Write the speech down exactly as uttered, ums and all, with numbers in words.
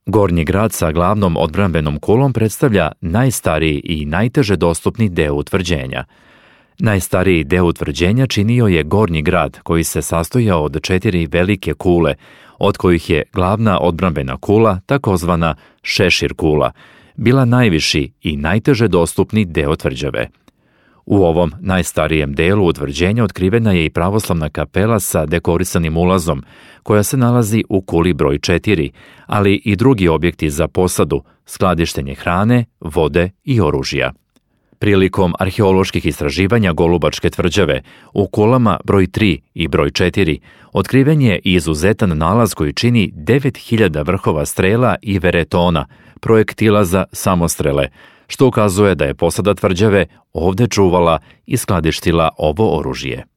Gornji grad sa glavnom odbrambenom kulom predstavlja najstariji i najteže dostupni deo utvrđenja. Najstariji deo utvrđenja činio je Gornji grad, koji se sastojao od četiri velike kule, od kojih je glavna odbrambena kula, takozvana šešir kula, bila najviši i najteže dostupni deo tvrđave. U ovom najstarijem delu utvrđenja otkrivena je i pravoslavna kapela sa dekorisanim ulazom, koja se nalazi u kuli broj četiri, ali i drugi objekti za posadu, skladištenje hrane, vode i oružja. Prilikom arheoloških istraživanja Golubačke tvrđave u kulama broj tri i broj četiri otkriven je izuzetan nalaz koji čini devet hiljada vrhova strela i veretona, projektila za samostrele, što ukazuje da je posada tvrđave ovde čuvala i skladištila ovo oružje.